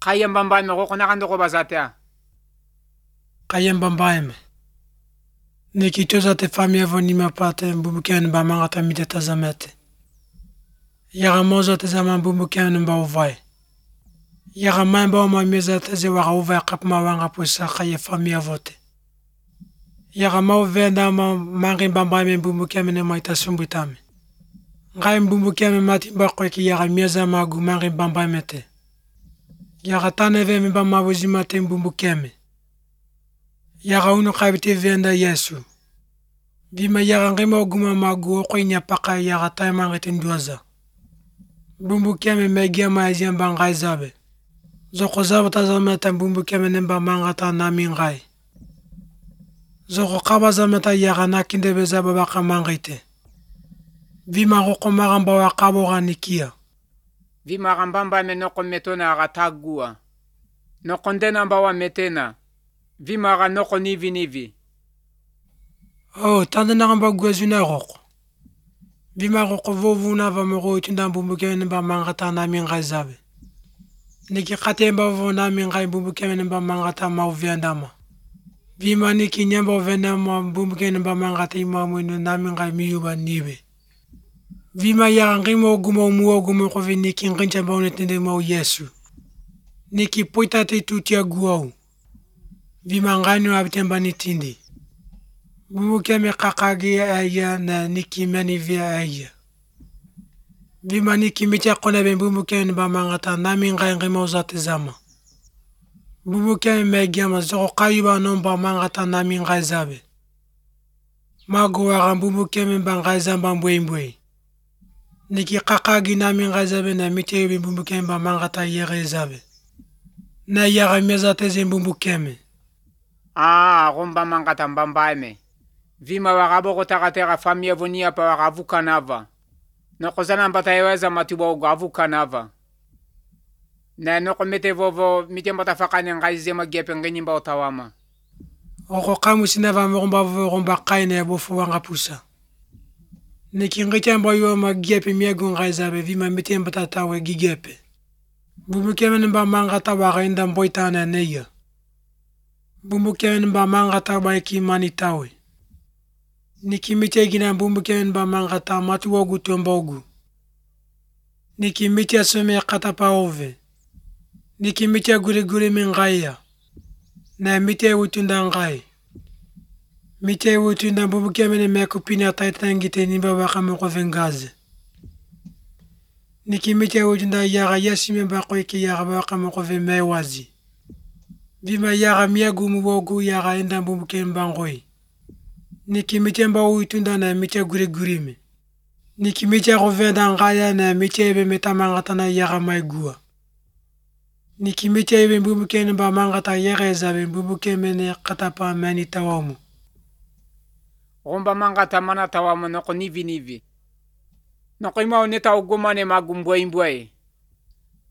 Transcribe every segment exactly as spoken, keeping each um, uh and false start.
Kayambambaime kokonakandoko bazatea. Kayambambaime. Nikitoza te famia vonima pate mbumbukiani ba mangata mite tazamete. Yaga mozo te zaman mbumbukiani mba uvai. Yaga maimba wa mamiza te ze waka uvai kapma wanga pusa kaye famia vote. Yaga mau venda ma mangi mbambaime mbumbukiani ne maita sumbutame. Ngai mbumbukiani mati mba kweki yaga mieza magu mangi mbambaime te. Yaga taneve mba mawuzima te mbumbukiani. Yaga unu kabiti venda Yesu. Bima yaga ngima oguma magu okoi nyapaka yaga taimanga tinduaza. Bumbu keme megia maizia mba ngai zabe. Zoko zabe tazameta bumbu keme nemba mangata nami ngai. Zoko kaba zameta yaga nakindebe zabe baka mangite. Bima roko maramba wa kabo ganikia. Vima rambambaime noko metona agatagua. Noko ndena mba wa metena. Vima ga noko nivi nivi. Oh, tanda na ngamba gwezuna roko. Vima roko vovu na va moro itinda mbumbuke nemba mangata nami ngai zabe. Niki kate mba vovu nami ngai mbumbuke nemba mangata mau viandama. Vima niki nyamba vena mba mbumbuke nemba mangata ima mwinu nami ngai miyuba niwe. Vima ya ngimo gumo muo gumo kovi niki ngincha mba unetende mau Yesu. Niki poita te tutia guau. Vima ngani abitemba nitindi. Bumbuke me kakagi aya na niki meni via aya. Vima niki mitia kone ben bumbuke mba mangata nami ngai ngima uzate zama. Bumbuke me giama zoko kayuba nomba mangata nami ngai zabe. Mago wara bumbuke mba ngai zamba mbwe mbwe. Niki kakagi nami ngai zabe na mitia yubi bumbuke mba mangata yere zabe. Na yara meza teze bumbuke me. Ah, romba mangata mbambaime. Vima wakabo kotakatera famia vonia pa wakavuka nava. Noko zana mbata yeweza matuba ugavuka nava. Na noko mete vovo mite mbata fakane ngai zema gepe ngeni mba otawama. Oko kamu sinava mromba vovo romba kaine ya bofu wanga pusa. Niki ngite mba yuwa ma gepe miegu ngai zabe vima mite mbata tawe gigepe. Bumbuke mba mangata wakainda mboitana neya. Bumbuke mba mangata baiki mani tawe. Niki mitia gina bumbuke mba mangata matu wogu tuombogu. Niki mitia sume katapa ove. Niki mitia guri guri mingaya. Na mitia utunda ngai. Mitia utunda bumbuke mene meku pina taitangite nimba waka moko vengaze. Niki mitia utunda yaga yasi mba koiki yaga waka moko vemewazi. Vima yaga miagu mwogu yaga enda bumbuke mba ngoi. Niki mitia mba uitunda na mitia guri guri me. Niki mitia rovenda ngaya na mitia ebe metamangata na yaga maigua. Niki mitia ebe bumbuke mba mangata yere zabe bumbuke mene katapa mani tawamu. Romba mangata mana tawamu noko nivi nivi. Noko ima oneta ugumane magu mbwe mbwe.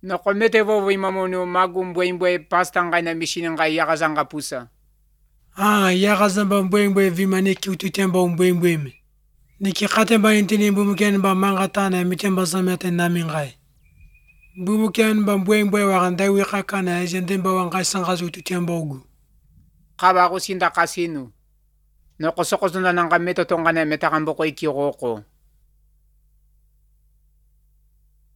Noko mete vovo imamono magu mbwe mbwe pasta ngai na mishine ngai yaga zanga pusa. Ah, yaga zamba mbwe mbwe vima niki ututemba mbwe mbwe me. Niki katemba intini bumbuke mba mangata na mitemba zamete nami ngai. Bumbuke mba mbwe mbwe wakandai wikaka na ezendemba wangai sangazu ututemba ugu. Kaba kusinda kasinu. Noko soko zunda nanga meto tongane meta kamboko ikiroko.